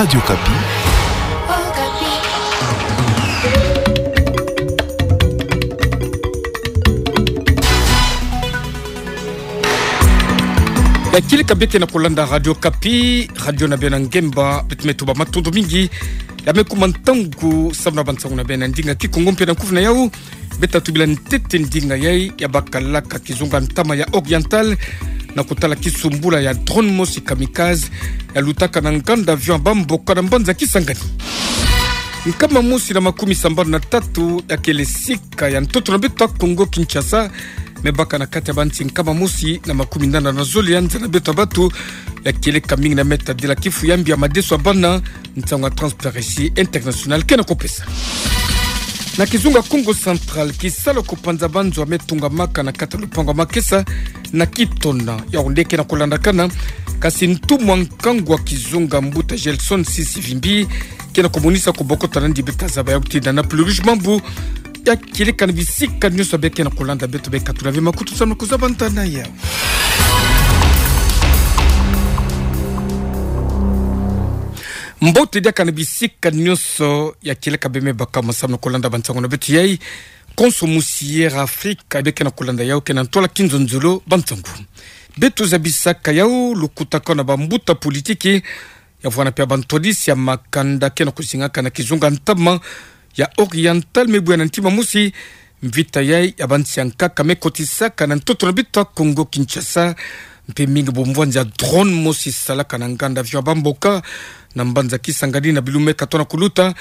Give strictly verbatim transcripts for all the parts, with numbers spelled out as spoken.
Radio Okapi. Ya kieleka bie ke na kolanda Radio Okapi, radio na bie na ngemba, beto me tuba matondo mingi ya me kuma ntangu samu na bansangu na bie na ndinga Kikongo mpe na kufi na yau. Beta tubila ntete ndinga yai ya bakalaka kizunga ntama ya Oriental, na kotala kisumbula ya drone mosi kamikaze ya lutaka na nganda avion ya bamboka na mbanza Kisangani. Nkama mosi na makumi sambanu na tatu ya kele sika ya ntoto na beto ya Kongo Kinshasa me baka na kati ya bansi nkama mosi na makumi nana na zole ya nza na beto ya bato, ya kieleka mingi na me tadila kifu ya mbi ya madeso ya bana, nsangu ya Transparency International ke na kopesa. Na kizunga Kongo Central, kisalu ya kopanza banzo ya me tungamaka na kati ya lupangu ya makesa na Kitona, yau nde ke na kolandakana, kasi ntumwa nkangu ya kizunga mbuta Gelson Sisi Vimbi ke na komonisa kobokota na ndi beta zaba ya kutinda na Pluvius Mambu, ya kieleka na bisika nyonso bie ke na kolanda, beto be katula ve makutu samu na kozaba ntana yau. Mbote diaka na bisika nyonso, ya kieleka bie me baka ma samu na kolanda bansangu na beto yai. Konso musi Air Africa bie ke na kolanda yau, ke na ntwala kinzonzolo bansangu. Beto zabisaka yau lukutakanu ya bambuta politiki, ya vwanda mpe ya bantwadisi ya makanda ke na kozingaka na kizunga ntama ya Oriental me bwe ya na ntima mosi, mvita yai ya bansi ya nkaka me kotisaka na ntoto na beto ya Kongo Kinshasa, mpe mingi bumvwanzi ya drone mosi salaka na nganda avion ya bamboka na mbanza Kisangani na bilu me katona kuluta.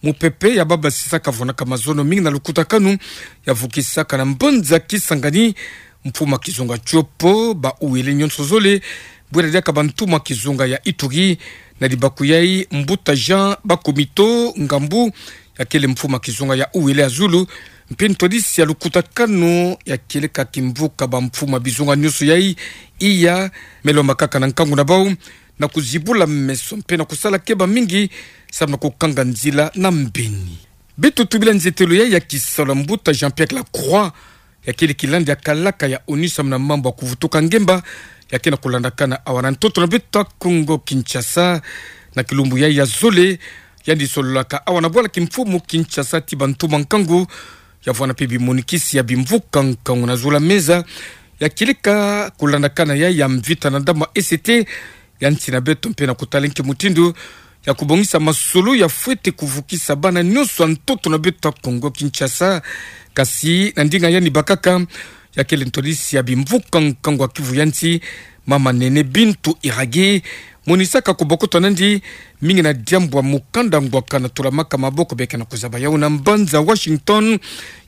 Mupepe ya babasisa ka vwandaka mazono mingi na lukutakanu ya vukisaka na mbanza Kisangani mfumu ya kizunga Tshopo, ba uwele nyonso zole, bwera diaka bantumwa kizunga ya Ituri, na libaku yai mbuta Jean Bakomito Ngambu, ya kele mfumu ya kizunga ya uwele ya zulu, mpe ntwadisi ya lukutakanu ya kieleka kimvuka bamfumu ya bizunga nyonso yai, iya, me lomba kaka na nkangu na bau na kozibula meso mpe na kosala keba mingi samu na kokanga nzila na mbeni. Beto tubila nzietelo yai ya kisalu ya mbuta Jean-Pierre Lacroix, ya kele kilandi ya kalaka ya ONU samu na mambu ya kovutuka ngemba, ya ke na kolandakana awa na ntoto na beto ya Kongo Kinshasa. Na kilumbu yai ya zole, yandi sololaka awa na bwala kimfumu Kinshasa ti bantumwa nkangu, ya vwanda mpe bimonikisi ya bimvuka nkangu na zulu ya meza, ya kieleka kolandakana yai ya mvita na ndambu ya E C T ya nsi na beto mpe na kotala nki mutindu ya kobongisa masolo ya fwete kovukisa bana nyonso ya ntoto na beto ya Kongo Kinshasa. Kasi na ndinga yandi bakaka, ya kele ntwadisi ya bimvuka nkangu ya kivu ya nsi, mama Nene Bintou Iraghi, monisaka kobokota na ndi mingi na diambu ya mukanda ngwaka na tolamaka maboko bie ke na kozaba yau na mbanza Washington,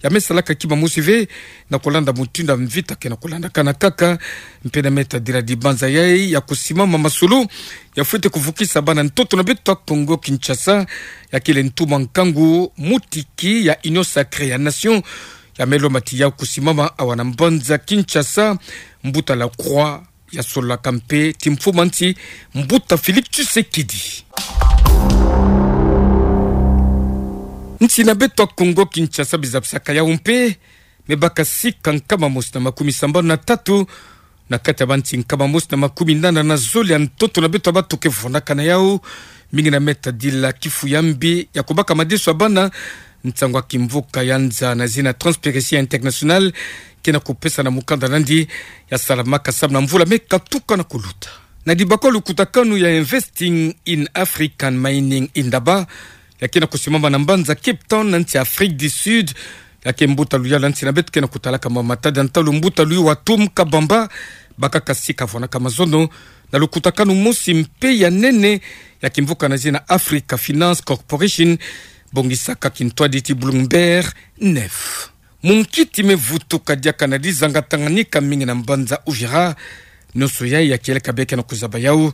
ya me salaka kima mosi ve na kolanda mutindu ya mvita ke na kolandakana kaka, mpe na me tadila dibanza yai ya kosimama masolo ya fwete kovukisa bana ntoto na beto ya Kongo Kinshasa, ya kele ntumwa nkangu mutiki ya Union Sacrée ya Nation, ya me lomba ti ya kosimama awa na mbanza Kinshasa, mbuta Lacroix ya sololaka mpe ti mfumu ya nsi, mbuta Félix Tshisekedi. Nsi na beto ya Kongo Kinshasa bizabisaka yau mpe, me baka sika nkama mosi na makumi sambanu na tatu na kati ya bansi nkama mosi na makumi nana na zole ya ntoto na beto ya bato ke vwandaka na yau, mingi na me tadila kifu ya mbi ya kobaka madeso ya bana, nsangu ya kimvuka ya nza na zina Transparency International ke na kopesa na mukanda na ndi ya salamaka samu na mvula me katuka na koluta. Na libaku ya lukutakanu ya Investing in African Mining Indaba, ya ke na kosimama na mbanza Cape Town na nsi Afrique du Sud, ya ke mbuta luyalu ya nsi na beto ke na kotalaka mama matadi ya ntalu, mbuta Louis Watum Kabamba, bakaka sika vwandaka mazono na lukutakanu mosi mpe ya nene ya kimvuka na zina Africa Finance Corporation, bongisaka kintwadi ti Bloomberg neuf. Munkiti me vutuka diaka na dizanga Tanganyika mingi na mbanza Uvira. Nyonso yai ya kieleka bie ke na kozaba yau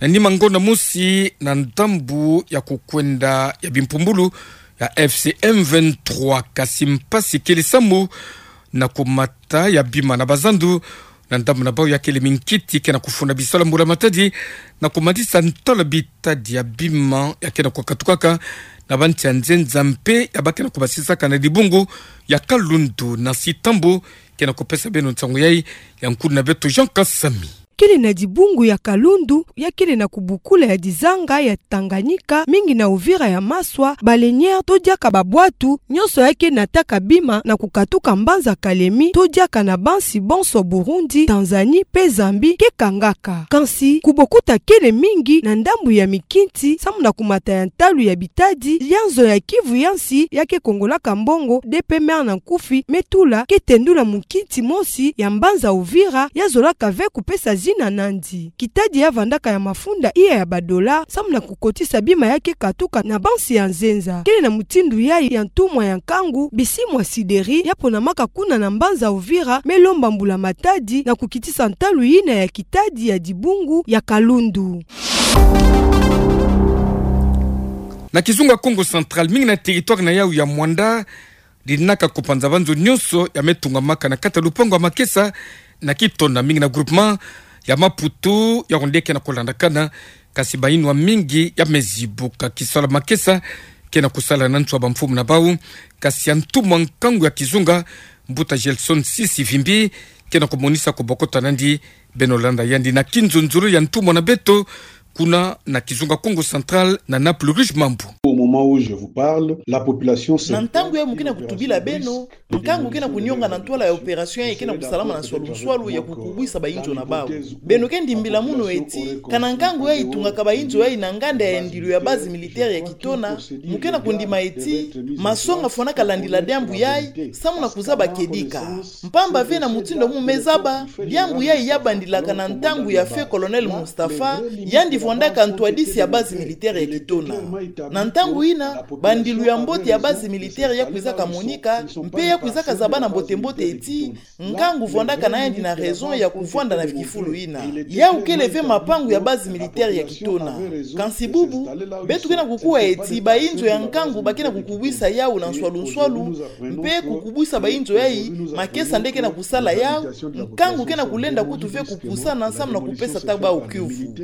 na nima ngonda mosi na ndambu ya kokwenda ya bimpumbulu ya F C M vingt-trois, kasi mpasi kele samu na komata ya bima na bazandu na ndambu na bau ya kele minkiti ke na kofunda bisalu ya mbula matadi, na komadisa ntwala bitadi ya bima ya ke na kokatukaka na bansi ya nzenza mpe ya ba ke na kobasisaka na dibungu ya Kalundu na Sitambo. Ke na kopesa beno nsangu yai ya nkundi na beto Jean Kasami. kele na dibungu ya Kalundu, ya kele na kubukula ya dizanga ya Tanganyika, mingi na Uvira ya Maswa, baleinière to diaka babwatu, nyonso ya ke nataka bima na kukatuka mbanza Kalemi, to diaka na bansi bonso Burundi, Tanzanie, pe Zambie, ke kangaka. Kansi, kubokuta kele mingi na ndambu ya mikinti, samu na kumata ya ntalu ya bitadi, ya nzo ya Kivu ya nsi, ya ke kongolaka mbongo, D P M R na nkufi, me tula, ke tendula mukinti mosi ya mbanza Uvira, ya zolaka ve kupesa zina nandi. Kitadi ya vandaka ya mafunda iya ya badola, samu na kukotisa bima ya ke katuka na bansi ya nzenza. Kele na mutindu yayi ya ntumwa ya nkangu, Bisimwa Sideri, ya ponamaka kuna na mbanza Uvira, me lomba mbula matadi na kukitisa ntalu yina ya kitadi ya dibungu ya Kalundu. Na kizunga Kongo Central, mingi na territoire na yawu ya Muanda, dinaka kupanza banzo nyonso ya me tungamaka na kati ya lupangu ya makesa na Kitona, mingi na groupement ya Maputo, ya onde ke na kulandakana, kasi bayinwa mingi ya me zibuka. Kisalu ya makesa ke na kusala na ntu ya bamfumu na bawu, kasi ya ntumwa nkangu ya kizunga, Mbuta Gelson Sisi Vimbi, ke na kumonisa kubokota nandi. Beno landa yandi na kinzonzolo ya ntumwa na beto, kuna na kizunga Kongo Central na Naples Rouge Mambu. Au moment où je vous parle, la population... Na ntangu yayi mu ke na kutubila beno, nkangu ke na kunionga na ntwala ya opération yayi ke na kusalama na nswalu nswalu ya kukubwisa bayinzo na bawu. Beno ke ndimbila munu eti, kana nkangu yayi itungaka bayinzo yayi na nganda ya ndilu ya base militaire ya Kitona, mu ke na kundima eti, masonga fwanaka landila diambu yayi, samu na kuzaba kedika. Mpamba ve na mutindu mu me zaba, diambu yayi ya bandilaka na ntangu ya feu Colonel Mustapha, yandi vwandaka ntwadisi ya base militaire ya Kitona. Na ntangu yina, bandilu ya mbote ya base militaire ya kwizaka monika, mpe ya kwizaka zabana mbote mbote eti, nkangu vwandaka na yandi na raison ya kuvwanda na kifulu yina. Yawu kele ve mapangu ya base militaire ya Kitona. Kansi bubu, beto ke na kukuwa eti bayinzo ya nkangu ba ke na kukubwisa yawu na nswalu nswalu, mpe kukubwisa bayinzo yayi, makesa nde ke na kusala yawu, nkangu ke na kulenda kutu ve kupusana samu na kupesa ta bawu kiuvu.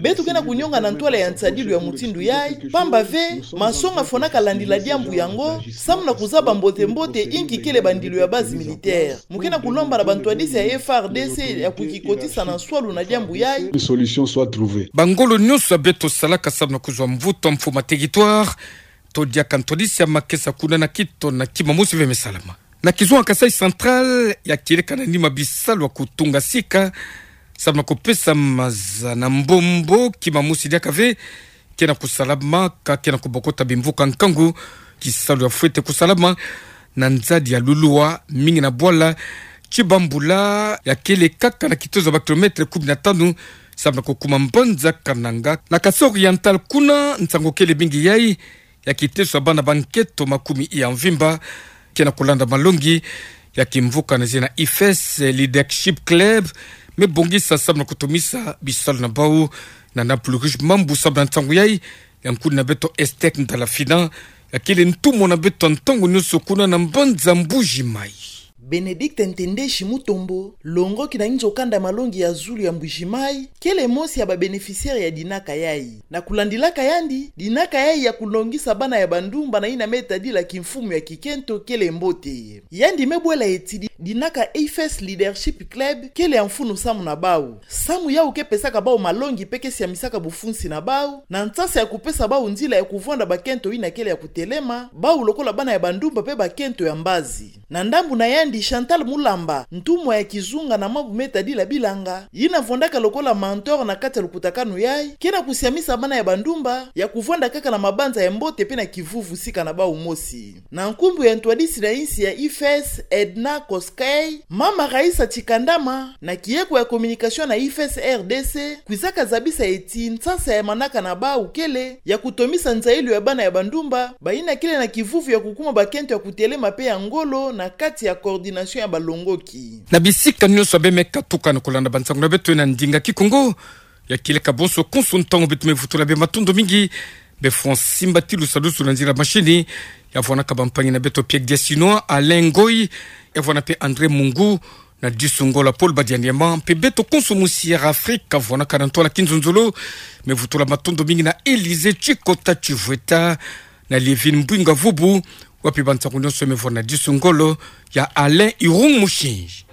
Beto ke na kunionga na ntwala ya nsadilu ya mutindu yayi, mpamba ve, masonga fwanaka landila diambu yango, samu na kuzaba mbote mbote inki kele bandilu ya base militaire. Mu ke na kulomba na bantwadisi ya F A R D C ya kukikotisa na nswalu na diambu yayi. Une solution soit trouvée. Bangolo nyonso ya beto salaka samu na kuzwa mvutu ya mfumu ya territoire, to diaka ntwadisi ya makesa kuna na Kitona, kima mosi ve me salama. Na kizunga Kasaï Central, ya kieleka na nima bisalu ya kutunga sika, samu na kupesa maza na mbombo, kima mosi diaka ve ke na kusalama, ka ke na kubokota bimvuka nkangu, kisalu ya fwete kusalama na nzadi ya Lulua, mingi na bwala Tshibambula, ya kele kaka na kitezo ya ba kilomètre kumi na tanu, samu na kukuma mbanza Kananga. Na Kasaï Oriental kuna, nsangu kele mingi yayi, ya kitezo ya bana ba nkento makumi ya mvimba, ke na kulanda malongi ya kimvuka na zina I F S Leadership Club, me bongisa samu na kutomisa bisalu na bawu na Naples Rouge Mambu. Samu na nsangu yayi, ya nkuni na beto Esther Ndalafina, ya kele ntumwa na beto ntangu nyonso kuna na mbanza Mbuji-Mayi. Bénédicte Ntendeshi Mutombo, longoki na inzo kanda malongi ya zulu ya Mbuji-Mayi, kele mosi ya ba bénéficiaires ya dinaka yayi. Na kulandilaka yandi, dinaka yayi ya kulongisa bana ya bandumba na yina me tadila kimfumu ya kikento kele mbote. Yandi me bwela eti di-, dinaka I F S Leadership Club kele ya mfunu samu na bawu. Samu yawu ke pesaka bawu malongi mpe ke siamisaka bufunsi na bawu, na nsasa ya kupesa bawu nzila ya kuvwanda bakento yina kele ya kutelema, bawu lokola bana ya bandumba mpe bakento ya mbazi. Na ndambu na yandi, Chantal Mulamba, ntumwa ya kizunga na mambu me tadila bilanga, yina vwandaka lokola mentor na kati ya lukutakanu yayi, ke na kusiamisa bana ya bandumba ya kuvwanda kaka na mabanza ya mbote mpe na kivuvu sika na bawu mosi. Na nkumbu ya ntwadisi na insi ya I F S, Edna Koskei, mama Raïssa Tshikandama, na kieko ya communication na I F S R D C, kwizaka zabisa eti nsasa ya manaka na bawu kele ya kutomisa nzayilu ya bana ya bandumba, bayina kele na kivuvu ya kukuma bakento ya kutelema mpe ya ngolo na kati ya coordination ya balongoki. Na bisika nyonso ya beno me katuka na kulanda bansangu na beto na ndinga Kikongo, ya kieleka bonso konso ntangu beto me vutula beno matondo mingi. Beno fwa simba ti lusadusu na nzila mashini, ya vwanaka bampangi na beto Pierre Diasinois, Alain Ngoy, ya vwana mpe André Mungu, na Disu Ngolo, Paul Badianiama, mpe beto konso mu Sierra Africa, vwanaka na ntwala kinzonzolo, me vutula matondo mingi na Élysée Tshikota Tshivweta, na Lievine Mbwinga Vubu, wapi bansangu nyonso me vwana na Disu Ngolo ya Alain Irung Mushinji.